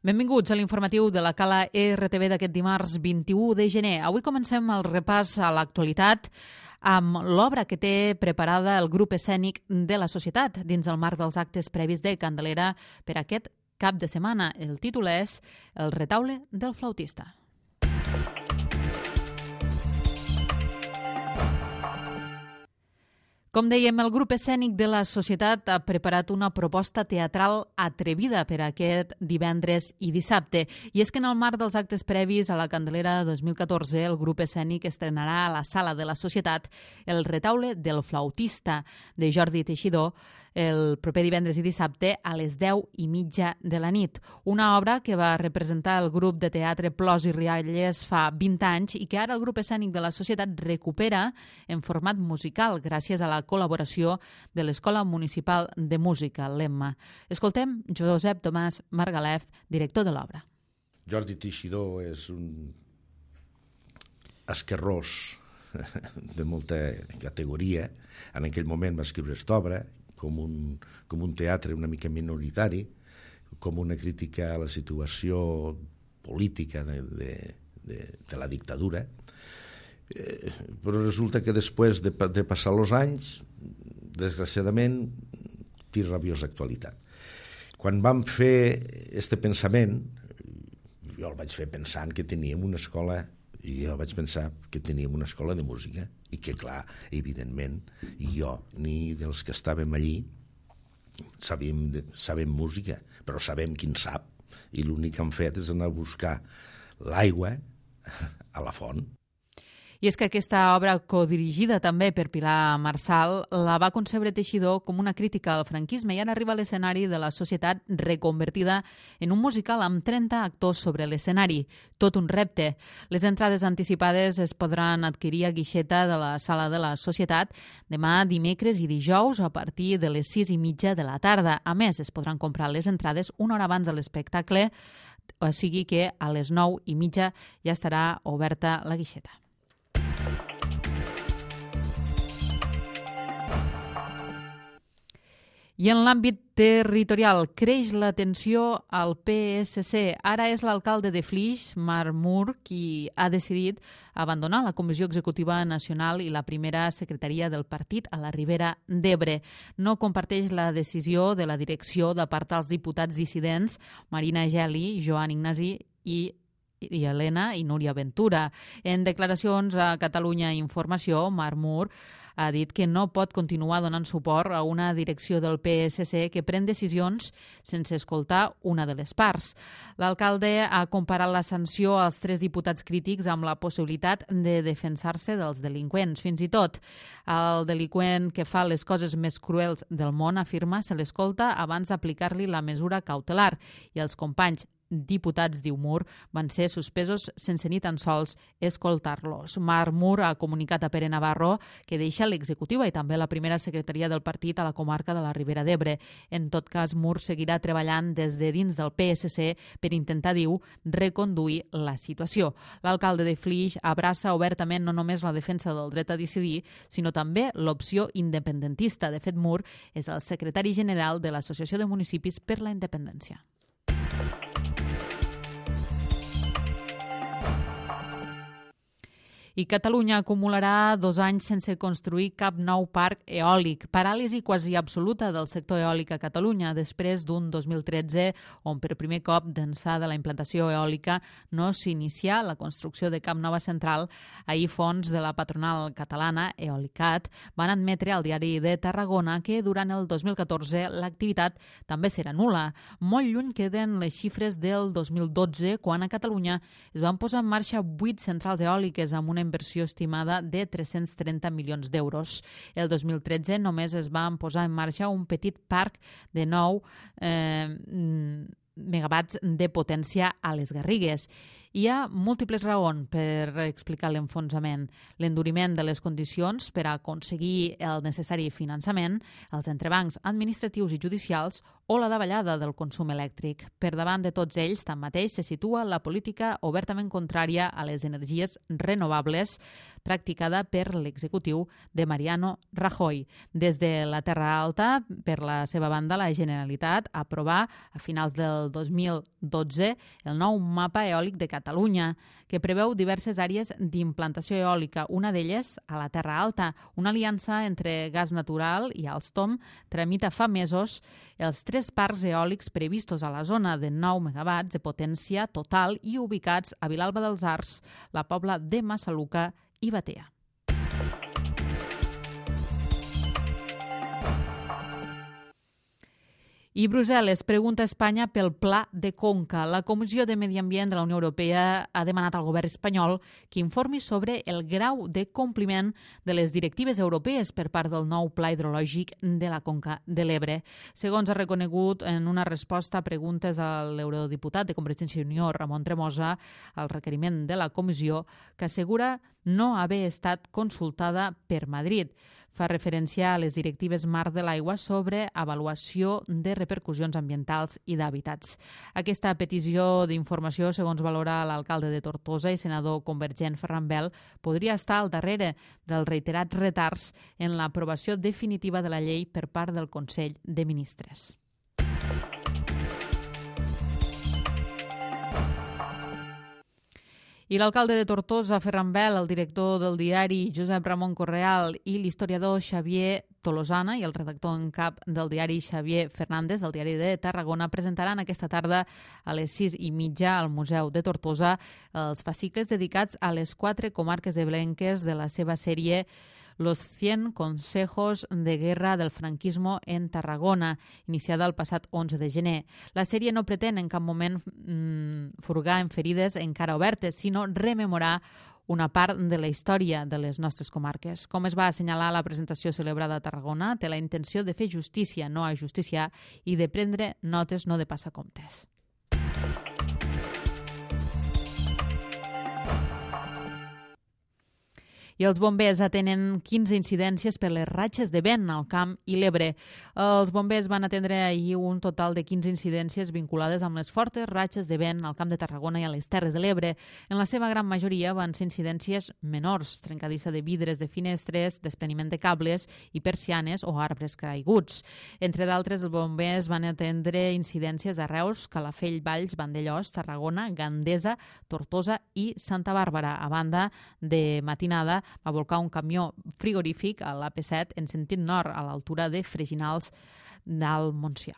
Benvinguts a l'informatiu de la Cala RTV d'aquest dimarts 21 de gener. Avui comencem el repàs a l'actualitat amb l'obra que té preparada el grup escènic de la Societat dins el marc dels actes previs de Candelera per aquest cap de setmana. El títol és El retaule del flautista. Com dèiem, el grup escènic de la Societat ha preparat una proposta teatral atrevida per aquest divendres i dissabte. I és que en el marc dels actes previs a la Candelera 2014, el grup escènic estrenarà a la Sala de la Societat El retaule del flautista de Jordi Teixidor el proper divendres i dissabte a les 10:30 de la nit. Una obra que va representar el grup de teatre Plors i Rialles fa 20 anys i que ara el grup escènic de la Societat recupera en format musical gràcies a la col·laboració de l'Escola Municipal de Música, l'EMMA. Escoltem Josep Tomàs Margalef, director de l'obra. Jordi Teixidor és un esquerrós de molta categoria. En aquell moment va escriure aquesta obra com un teatre una mica minoritari, com una crítica a la situació política de la dictadura. Però resulta que després de passar els anys, desgraciadament, té rabiosa actualitat. Quan vam fer aquest pensament, jo el vaig fer pensant que teníem una escola, i jo vaig pensar que teníem una escola de música i que, clar, evidentment, jo ni dels que estàvem allí sabem música, però sabem qui en sap, i l'únic que hem fet és anar a buscar l'aigua a la font. I és que aquesta obra, codirigida també per Pilar Marsal, la va concebre Teixidor com una crítica al franquisme i ara arriba a l'escenari de la Societat reconvertida en un musical amb 30 actors sobre l'escenari. Tot un repte. Les entrades anticipades es podran adquirir a guixeta de la Sala de la Societat demà, dimecres i dijous a partir de les 6:30 de la tarda. A més, es podran comprar les entrades una hora abans de l'espectacle, o sigui que a les 9:30 ja estarà oberta la guixeta. I en l'àmbit territorial, creix la tensió al PSC. Ara és l'alcalde de Flix, Marc Mur, qui ha decidit abandonar la Comissió Executiva Nacional i la primera secretaria del partit a la Ribera d'Ebre. No comparteix la decisió de la direcció d'apartar els diputats dissidents Marina Geli, Joan Ignasi i Helena i Núria Ventura. En declaracions a Catalunya Informació, Marc Mur ha dit que no pot continuar donant suport a una direcció del PSC que pren decisions sense escoltar una de les parts. L'alcalde ha comparat la sanció als 3 diputats crítics amb la possibilitat de defensar-se dels delinqüents. Fins i tot, el delinqüent que fa les coses més cruels del món, afirma, se l'escolta abans d'aplicar-li la mesura cautelar i els companys diputats, diu Mur, van ser suspesos sense ni tan sols escoltar-los. Marc Mur ha comunicat a Pere Navarro que deixa l'executiva i també la primera secretaria del partit a la comarca de la Ribera d'Ebre. En tot cas, Mur seguirà treballant des de dins del PSC per intentar, diu, reconduir la situació. L'alcalde de Flix abraça obertament no només la defensa del dret a decidir, sinó també l'opció independentista. De fet, Mur és el secretari general de l'Associació de Municipis per la Independència. I Catalunya acumularà 2 anys sense construir cap nou parc eòlic. Paràlisi quasi absoluta del sector eòlic a Catalunya després d'un 2013 on per primer cop d'ençà de la implantació eòlica no s'inicià la construcció de cap nova central. Ahir fons de la patronal catalana, Eolicat, van admetre al diari de Tarragona que durant el 2014 l'activitat també serà nul·la. Molt lluny queden les xifres del 2012, quan a Catalunya es van posar en marxa 8 centrals eòliques amb una inversió estimada de 330 milions d'euros. El 2013 només es van posar en marxa un petit parc de 9 megawatts de potència a les Garrigues. Hi ha múltiples raons per explicar l'enfonsament. L'enduriment de les condicions per a aconseguir el necessari finançament, els entrebancs administratius i judicials o la davallada del consum elèctric. Per davant de tots ells, tanmateix, se situa la política obertament contrària a les energies renovables practicada per l'executiu de Mariano Rajoy. Des de la Terra Alta, per la seva banda, la Generalitat aprovà a finals del 2012 el nou mapa eòlic de Catalunya, que preveu diverses àrees d'implantació eòlica, una d'elles a la Terra Alta. Una aliança entre Gas Natural i Alstom tramita fa mesos els 3 parcs eòlics previstos a la zona de 9 megawatts de potència total i ubicats a Vilalba dels Arcs, la Pobla de Massaluca i Batea. I Brussel·les pregunta a Espanya pel Pla de Conca. La Comissió de Medi Ambient de la Unió Europea ha demanat al govern espanyol que informi sobre el grau de compliment de les directives europees per part del nou Pla Hidrològic de la Conca de l'Ebre. Segons ha reconegut en una resposta a preguntes a l'eurodiputat de Convergència i Unió, Ramon Tremosa, al requeriment de la comissió, que assegura no haver estat consultada per Madrid. Fa referència a les directives marc de l'aigua sobre avaluació de repercussions ambientals i d'hàbitats. Aquesta petició d'informació, segons valora l'alcalde de Tortosa i senador convergent Ferran Bel, podria estar al darrere dels reiterats retards en l'aprovació definitiva de la llei per part del Consell de Ministres. I l'alcalde de Tortosa, Ferran Bel, el director del diari Josep Ramon Correal i l'historiador Xavier Tolosana i el redactor en cap del diari Xavier Fernández, del diari de Tarragona, presentaran aquesta tarda a les 6:30 al Museu de Tortosa els fascicles dedicats a les 4 comarques ebrenques de la seva sèrie Los 100 consejos de guerra del franquismo en Tarragona, iniciada el passat 11 de gener. La sèrie no pretén en cap moment furgar en ferides encara obertes, sinó rememorar una part de la història de les nostres comarques. Com es va assenyalar a la presentació celebrada a Tarragona, té la intenció de fer justícia, no ajusticiar, i de prendre notes, no de passar comptes. I els bombers atenen 15 incidències per les ratxes de vent al Camp i l'Ebre. Els bombers van atendre ahir un total de 15 incidències vinculades amb les fortes ratxes de vent al Camp de Tarragona i a les Terres de l'Ebre. En la seva gran majoria van ser incidències menors, trencadissa de vidres de finestres, despreniment de cables i persianes o arbres caiguts. Entre d'altres, els bombers van atendre incidències a Reus, Calafell, Valls, Vandellós, Tarragona, Gandesa, Tortosa i Santa Bàrbara. A banda, de matinada, va volcar un camió frigorífic a l'AP7 en sentit nord, a l'altura de Freginals del Montsià.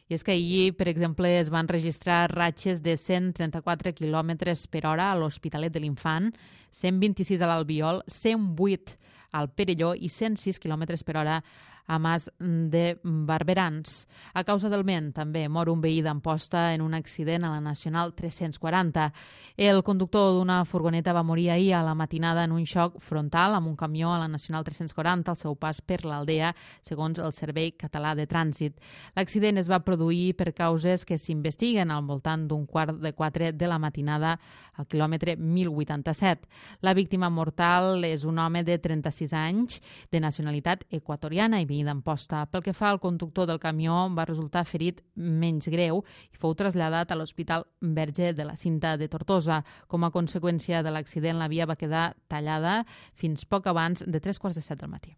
I és que ahir, per exemple, es van registrar ratxes de 134 km per hora a l'Hospitalet de l'Infant, 126 a l'Albiol, 108 al Perelló i 106 km per hora a Mas de Barberans. A causa del vent, també mor un veí d'Amposta en un accident a la Nacional 340. El conductor d'una furgoneta va morir ahir a la matinada en un xoc frontal amb un camió a la Nacional 340 al seu pas per l'Aldea, segons el Servei Català de Trànsit. L'accident es va produir per causes que s'investiguen al voltant d'un 3:45 de la matinada al quilòmetre 1087. La víctima mortal és un home de 36 anys, de nacionalitat equatoriana i veí d'Amposta. Pel que fa al conductor del camió, va resultar ferit menys greu i fou traslladat a l'Hospital Verge de la Cinta de Tortosa. Com a conseqüència de l'accident, la via va quedar tallada fins poc abans de 3:45 del matí.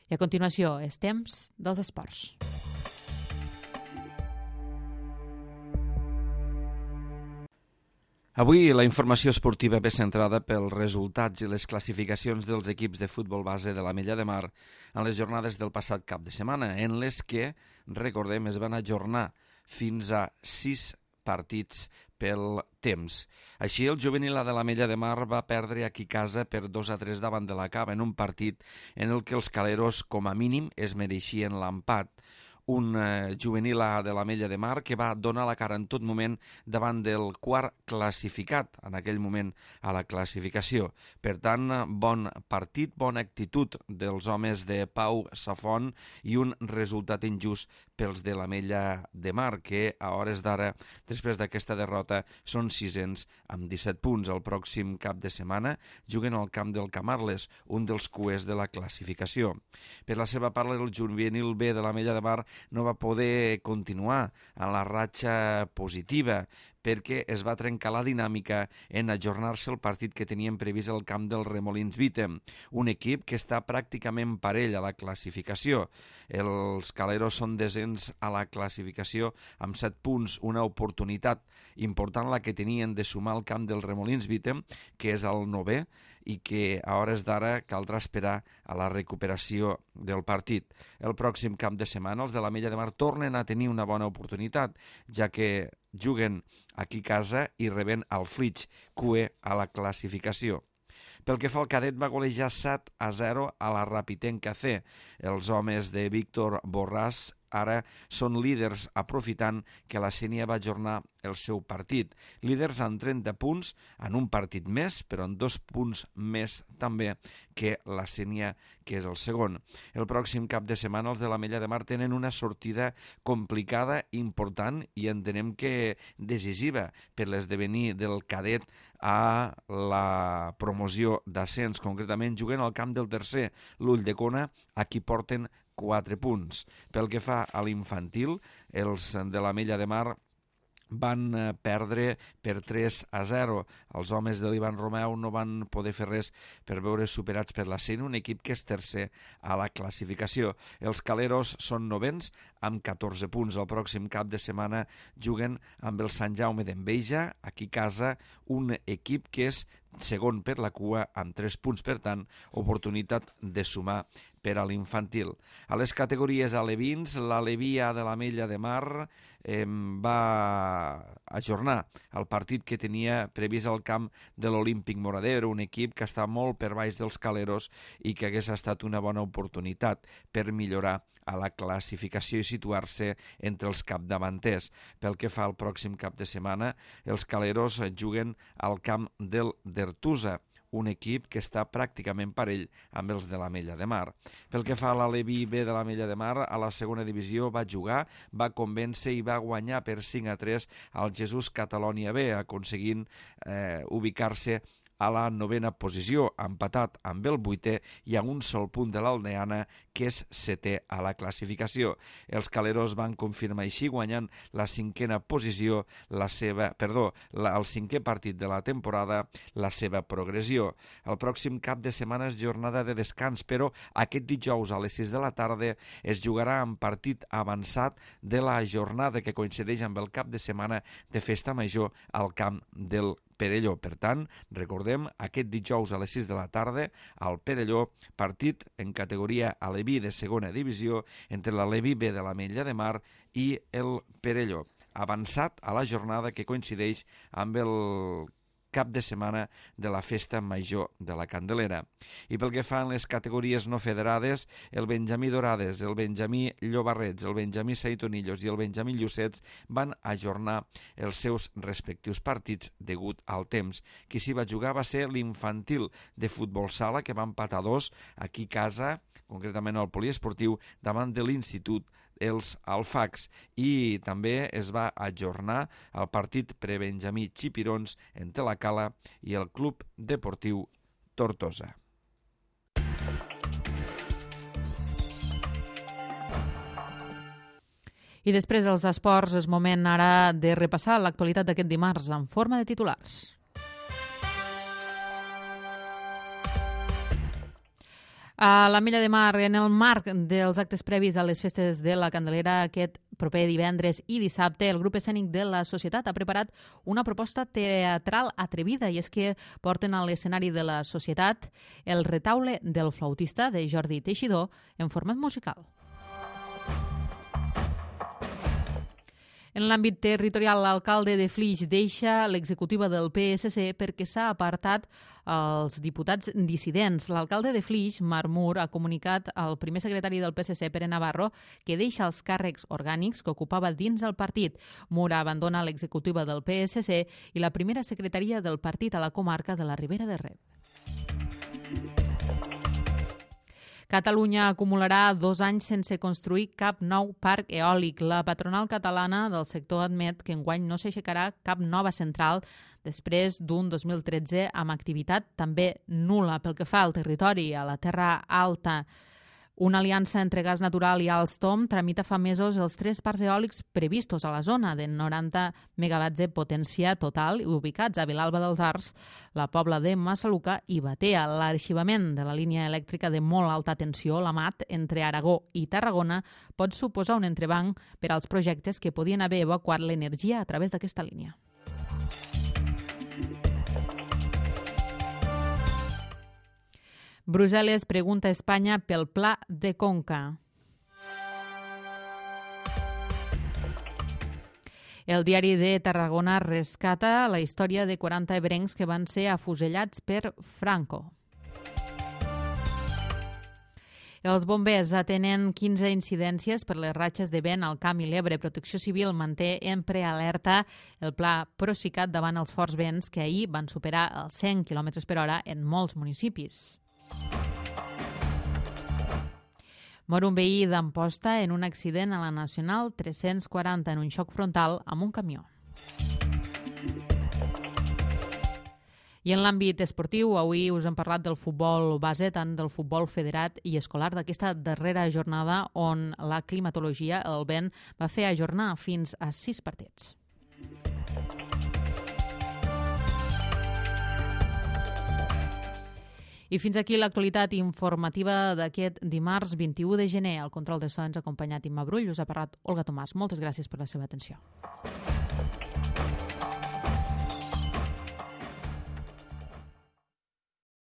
I a continuació, és temps dels esports. Avui la informació esportiva ve centrada pels resultats i les classificacions dels equips de futbol base de l'Ametlla de Mar en les jornades del passat cap de setmana, en les que, recordem, es van ajornar fins a 6 partits pel temps. Així, el juvenil de l'Ametlla de Mar va perdre aquí a casa per 2-3 davant de la Cava en un partit en el que els caleros, com a mínim, es mereixien l'empat. un juvenil A de l'Ametlla de Mar que va donar la cara en tot moment davant del quart classificat en aquell moment a la classificació. Per tant, bon partit, bona actitud dels homes de Pau Safont i un resultat injust pels de l'Ametlla de Mar, que a hores d'ara, després d'aquesta derrota, són sisens amb 17 punts. El pròxim cap de setmana juguen al camp del Camarles, un dels cuers de la classificació. Per la seva part, el juvenil B de l'Ametlla de Mar no va poder continuar en la ratxa positiva perquè es va trencar la dinàmica en ajornar-se el partit que tenien previst al camp del Remolins Vítem, un equip que està pràcticament parell a la classificació. Els caleros són desens a la classificació amb 7 punts, una oportunitat important la que tenien de sumar al camp del Remolins Vítem, que és el 9è, i que a hores d'ara caldrà esperar a la recuperació del partit. El pròxim cap de setmana els de l'Ametlla de Mar tornen a tenir una bona oportunitat, ja que juguen aquí a casa i reben el Flix, QE a la classificació. Pel que fa al cadet, va golejar 7-0 a la Rapitenca C. Els homes de Víctor Borràs ara són líders, aprofitant que la Sénia va ajornar el seu partit. Líders amb 30 punts, en un partit més, però en 2 punts més també que la Sénia, que és el segon. El pròxim cap de setmana els de l'Ametlla de Mar tenen una sortida complicada, important i entenem que decisiva per l'esdevenir del cadet a la promoció d'ascens. Concretament juguen al camp del tercer, l'Ulldecona, a qui porten 4 punts. Pel que fa a l'infantil, els de l'Ametlla de Mar van perdre per 3-0. Els homes de l'Ivan Romeu no van poder fer res per veure superats per la Sénia, un equip que és tercer a la classificació. Els caleros són novens amb 14 punts. El pròxim cap de setmana juguen amb el Sant Jaume d'Enveja, aquí a casa, un equip que és segon per la cua amb 3 punts, per tant, oportunitat de sumar per a l'infantil. A les categories alevins, l'Aleví A de l'Ametlla de Mar va ajornar el partit que tenia previst al camp de l'Olímpic Moradero, un equip que està molt per baix dels caleros i que hagués estat una bona oportunitat per millorar a la classificació i situar-se entre els capdavanters. Pel que fa al pròxim cap de setmana, els caleros juguen al camp del d'Ertusa, un equip que està pràcticament parell amb els de l'Ametlla de Mar. Pel que fa a l'Aleví B de l'Ametlla de Mar, a la segona divisió va jugar, va convèncer i va guanyar per 5-3 al Jesús Catalònia B, aconseguint ubicar-se a la 9a posició, empatat amb el 8è i a un sol punt de l'Aldeana, que és 7è a la classificació. Els caleros van confirmar així, guanyant la 5a posició, el 5è partit de la temporada, la seva progressió. El pròxim cap de setmana és jornada de descans, però aquest dijous a les 6 de la tarda es jugarà en partit avançat de la jornada que coincideix amb el cap de setmana de Festa Major al camp del Perelló. Per tant, recordem, aquest dijous a les 6 de la tarda al Perelló, partit en categoria Aleví de segona divisió entre l'Aleví B de l'Ametlla de Mar i el Perelló. Avançat a la jornada que coincideix amb el cap de setmana de la Festa Major de la Candelera. I pel que fa a les categories no federades, el Benjamí Dorades, el Benjamí Llobarrets, el Benjamí Saitonillos i el Benjamí Llucets van ajornar els seus respectius partits degut al temps. Qui s'hi va jugar va ser l'infantil de futbol sala, que va empatar 2 aquí a casa, concretament al poliesportiu, davant de l'Institut els Alfacs, i també es va ajornar el partit pre-Benjamí Xipirons entre la Cala i el Club Deportiu Tortosa. I després dels esports és moment ara de repassar l'actualitat d'aquest dimarts en forma de titulars. A l'Ametlla de Mar, en el marc dels actes previs a les festes de la Candelera, aquest proper divendres i dissabte, el grup escènic de la Societat ha preparat una proposta teatral atrevida, i és que porten a l'escenari de la Societat el Retaule del flautista de Jordi Teixidor en format musical. En l'àmbit territorial, l'alcalde de Flix deixa l'executiva del PSC perquè s'ha apartat els diputats dissidents. L'alcalde de Flix, Marc Mur, ha comunicat al primer secretari del PSC, Pere Navarro, que deixa els càrrecs orgànics que ocupava dins el partit. Mur abandona l'executiva del PSC i la primera secretaria del partit a la comarca de la Ribera d'Ebre. Catalunya acumularà 2 anys sense construir cap nou parc eòlic. La patronal catalana del sector admet que enguany no s'aixecarà cap nova central després d'un 2013 amb activitat també nul·la pel que fa al territori, a la Terra Alta. Una aliança entre Gas Natural i Alstom tramita fa mesos els 3 parcs eòlics previstos a la zona de 90 megawatts de potència total ubicats a Vilalba dels Arcs, la Pobla de Massaluca i Batea. L'arxivament de la línia elèctrica de molt alta tensió, la MAT, entre Aragó i Tarragona pot suposar un entrebanc per als projectes que podien haver evacuat l'energia a través d'aquesta línia. Brussel·les pregunta a Espanya pel Pla de Conca. El diari de Tarragona rescata la història de 40 ebrencs que van ser afusellats per Franco. Els bombers atenen 15 incidències per les ratxes de vent al Camp i l'Ebre. Protecció Civil manté en prealerta el pla Procicat davant els forts vents que ahir van superar els 100 km per hora en molts municipis. Mor un veí d'Amposta en un accident a la Nacional 340 en un xoc frontal amb un camió. I en l'àmbit esportiu, avui us hem parlat del futbol base, tant del futbol federat i escolar, d'aquesta darrera jornada on la climatologia, el vent, va fer ajornar fins a 6 partits. I fins aquí l'actualitat informativa d'aquest dimarts 21 de gener. Al control de so ens ha acompanyat Imma Brull, us ha parlat Olga Tomàs. Moltes gràcies per la seva atenció.